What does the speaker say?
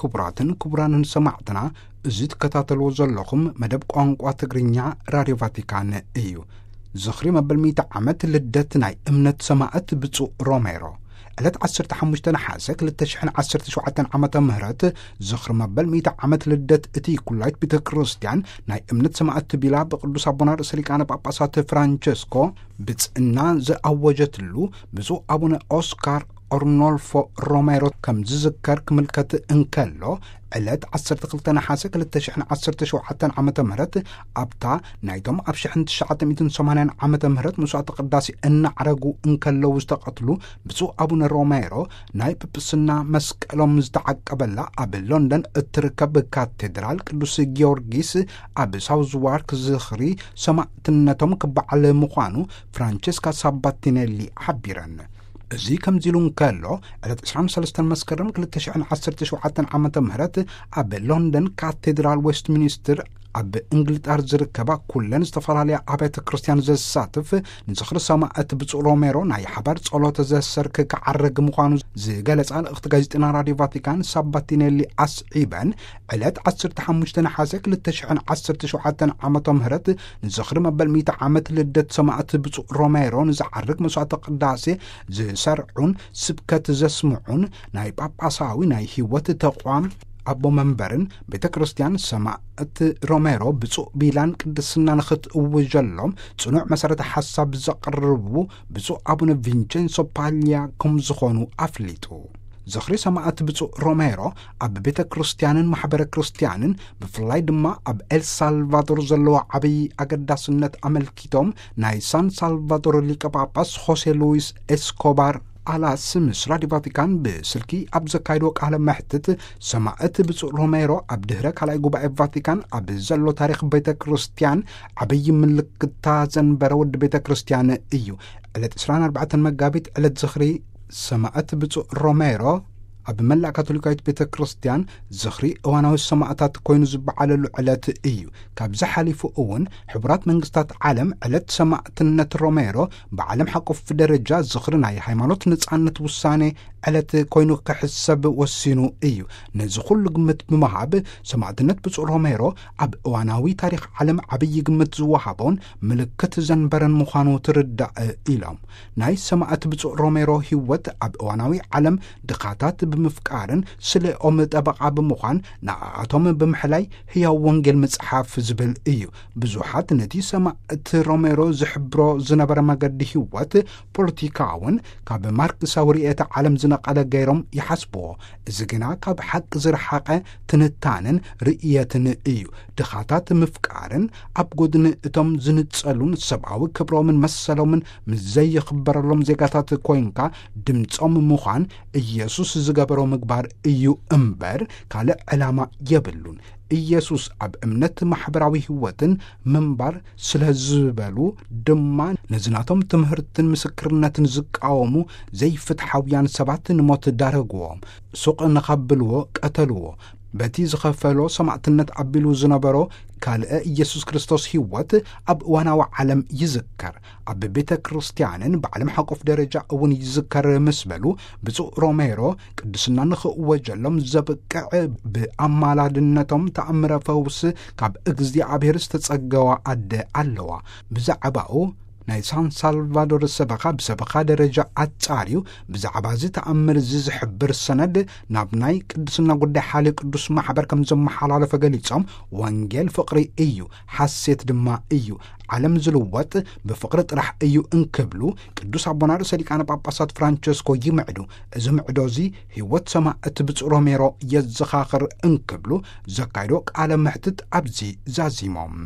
ክቡራትን ክቡራንን ሰማዕትና፣ እዚ ትከታተልዎ ዘለኹም መደብ ቋንቋ ትግርኛ ራድዮ ቫቲካን እዩ። ዝኽሪ መበል ሚእቲ ዓመት ልደት ናይ እምነት ሰማዕት ብፁዕ ሮሜሮ። ዕለት ዓሰርተ ሓሙሽተ ነሓሰ ክልተ ሽሕን ዓሰርተ ሸውዓተን ዓመተ ምህረት ዝኽሪ መበል ሚእቲ ዓመት ልደት እቲ ኩላይት ቤተ ክርስቲያን ናይ እምነት ሰማዕት ቢላ ብቅዱስ ኣቦና ርእሰ ሊቃነ ጳጳሳት ፍራንቸስኮ ብጽእና ዝኣወጀትሉ ብፁዕ ኣቡነ ኦስካር ኦርኖልፎ ሮሜሮ ከም ዝዝከር ክምልከት እንከሎ፣ ዕለት ዓሰርተ ክልተ ነሓሰ ክልተ ሽሕን ዓሰርተ ሸውዓተን ዓመተ ምህረት ኣብታ ናይቶም ኣብ ሽሕን ትሽዓተ ሚእትን ሰማንያን ዓመተ ምህረት መስዋዕተ ቅዳሴ እናዕረጉ እንከለዉ ዝተቐትሉ ብፁዕ ኣቡነ ሮሜሮ ናይ ጵጵስና መስቀሎም ዝተዓቀበላ ኣብ ሎንደን እትርከብ ካቴድራል ቅዱስ ጊዮርጊስ ኣብ ሳውዝ ዋርክ ዝኽሪ ሰማዕትነቶም ክበዓል ምዃኑ ፍራንቸስካ ሳባቲኔሊ ሓቢረን። እዚ ከምዚ ኢሉ እንከሎ፣ ዕለት ዕስራን ሰለስተን መስከረም ክልተ ሽሕን ዓሰርተ ሸውዓተን ዓመተ ምህረት ኣብ ሎንደን ካቴድራል ዌስትሚኒስትር ኣብ እንግሊጣር ዝርከባ ኩለን ዝተፈላለያ ኣብያተ ክርስቲያን ዘሳትፍ ንዝኽሪ ሰማዕት ብፁዕ ሮሜሮ ናይ ሓባር ጸሎተ ዘሰርክ ክዓረግ ምዃኑ ዝገለጻ ልእኽቲ ጋዜጠና ራድዮ ቫቲካን ሳባቲኔሊ ኣስዒበን፣ ዕለት ዓሰርተ ሓሙሽተ ነሓሰ ክልተ ሽሕን ዓሰርተ ሸውዓተን ዓመተ ምህረት ንዝኽሪ መበል ሚእቲ ዓመት ልደት ሰማዕት ብፁዕ ሮሜሮ ንዝዓርግ መስዋዕተ ቅዳሴ ዝሰርዑን ስብከት ዘስምዑን ናይ ጳጳሳዊ ናይ ህይወት ተቋም ኣቦ መንበርን ቤተ ክርስቲያን ሰማዕት ሮሜሮ ብፁዕ ቢላን ቅድስና ንኽትእውጀሎም ጽኑዕ መሰረተ ሓሳብ ዘቕርቡ ብፁዕ ኣቡነ ቪንቸንሶ ፓልያ ከም ዝኾኑ ኣፍሊጡ። ዝኽሪ ሰማዕት ብፁዕ ሮሜሮ ኣብ ቤተ ክርስቲያንን ማሕበረ ክርስቲያንን ብፍላይ ድማ ኣብ ኤልሳልቫዶር ዘለዎ ዓብዪ ኣገዳስነት ኣመልኪቶም ናይ ሳን ሳልቫዶር ሊቀ ጳጳስ ሆሴ ሉዊስ ኤስኮባር ኣላስ ምስ ራዲዮ ቫቲካን ብስልኪ ኣብ ዘካየድዎ ቃለ መሕትት፣ ሰማዕት ብፁዕ ሮሜሮ ኣብ ድህረ ካልኣይ ጉባኤ ቫቲካን ኣብ ዘሎ ታሪኽ ቤተ ክርስቲያን ዓብዪ ምልክታ ዘንበረ ወዲ ቤተ ክርስቲያን እዩ። ዕለት ዕስራን ኣርባዕተን መጋቢት ዕለት ዝኽሪ ሰማዕት ብፁዕ ሮሜሮ ኣብ መላእ ካቶሊካዊት ቤተ ክርስቲያን ዝኽሪ እዋናዊ ሰማዕታት ኮይኑ ዝበዓለሉ ዕለት እዩ። ካብዚ ሓሊፉ እውን ሕቡራት መንግስታት ዓለም ዕለት ሰማዕትነት ሮሜሮ ብዓለም ሓቆፍ ደረጃ ዝኽሪ ናይ ሃይማኖት ነጻነት ውሳኔ ዕለት ኮይኑ ክሕሰብ ወሲኑ እዩ። ነዚ ኩሉ ግምት ብምሃብ ሰማዕትነት ብፁዕ ሮሜሮ ኣብ እዋናዊ ታሪኽ ዓለም ዓብዪ ግምት ዝወሃቦን ምልክት ዘንበረን ምዃኑ ትርዳእ ኢሎም። ናይ ሰማዕት ብፁዕ ሮሜሮ ህይወት ኣብ እዋናዊ ዓለም ድኻታት ብምፍቃርን ስለኦም ጠበቓ ብምዃን ንኣቶም ብምሕላይ ህያው ወንጌል ምጽሓፍ ዝብል እዩ። ብዙሓት ነቲ ሰማዕት ሮሜሮ ዝሕብሮ ዝነበረ መገዲ ህይወት ፖለቲካውን ካብ ማርክሳዊ ርእየተ ዓለም ዝነቐለ ገይሮም ይሓስብዎ። እዚ ግና ካብ ሓቂ ዝረሓቐ ትንታነን ርእየትን እዩ። ድኻታት ምፍቃርን ኣብ ጎድኒ እቶም ዝንጸሉን ሰብኣዊ ክብሮምን መሰሎምን ምስ ዘይኽበረሎም ዜጋታት ኮይንካ ድምጾም ምዃን ኢየሱስ ዝገበሮ ምግባር እዩ እምበር ካልእ ዕላማ የብሉን። ኢየሱስ ኣብ እምነት ማሕበራዊ ህይወትን ምንባር ስለ ዝበሉ ድማ ነዚ ናቶም ትምህርትን ምስክርነትን ዝቃወሙ ዘይፍትሓውያን ሰባት ንሞት ዳረግዎም። ሱቕ ንኸብልዎ ቀተልዎ። በቲ ዝኸፈሎ ሰማዕትነት ኣቢሉ ዝነበሮ ካልእ ኢየሱስ ክርስቶስ ህይወት ኣብ እዋናዊ ዓለም ይዝከር። ኣብ ቤተ ክርስቲያንን ብዓለም ሓቆፍ ደረጃ እውን ይዝከር ምስ በሉ፣ ብፁዕ ሮሜሮ ቅድስና ንኽእወጀሎም ዘብቅዕ ብኣማላድነቶም ተኣምረ ፈውስ ካብ እግዚኣብሔር ዝተጸገዋ ኣደ ኣለዋ። ብዛዕባኡ ናይ ሳን ሳልቫዶር ሰበኻ ብሰበኻ ደረጃ ኣጻርዩ ብዛዕባ እዚ ተኣምር እዚ ዝሕብር ሰነድ ናብ ናይ ቅድስና ጉዳይ ሓልዮ ቅዱስ ማሕበር ከም ዘመሓላለፈ ገሊጾም፣ ወንጌል ፍቕሪ እዩ፣ ሓሴት ድማ እዩ፣ ዓለም ዝልወጥ ብፍቕሪ ጥራሕ እዩ እንክብሉ፣ ቅዱስ ኣቦና ርእሰ ሊቃነ ጳጳሳት ፍራንቸስኮ ይምዕዱ። እዚ ምዕዶ እዚ ህይወት ሰማዕት ብፁዕ ሮሜሮ የዘኻኽር እንክብሉ ዘካይዶ ቃለ መሕትት ኣብዚ ዛዚሞም።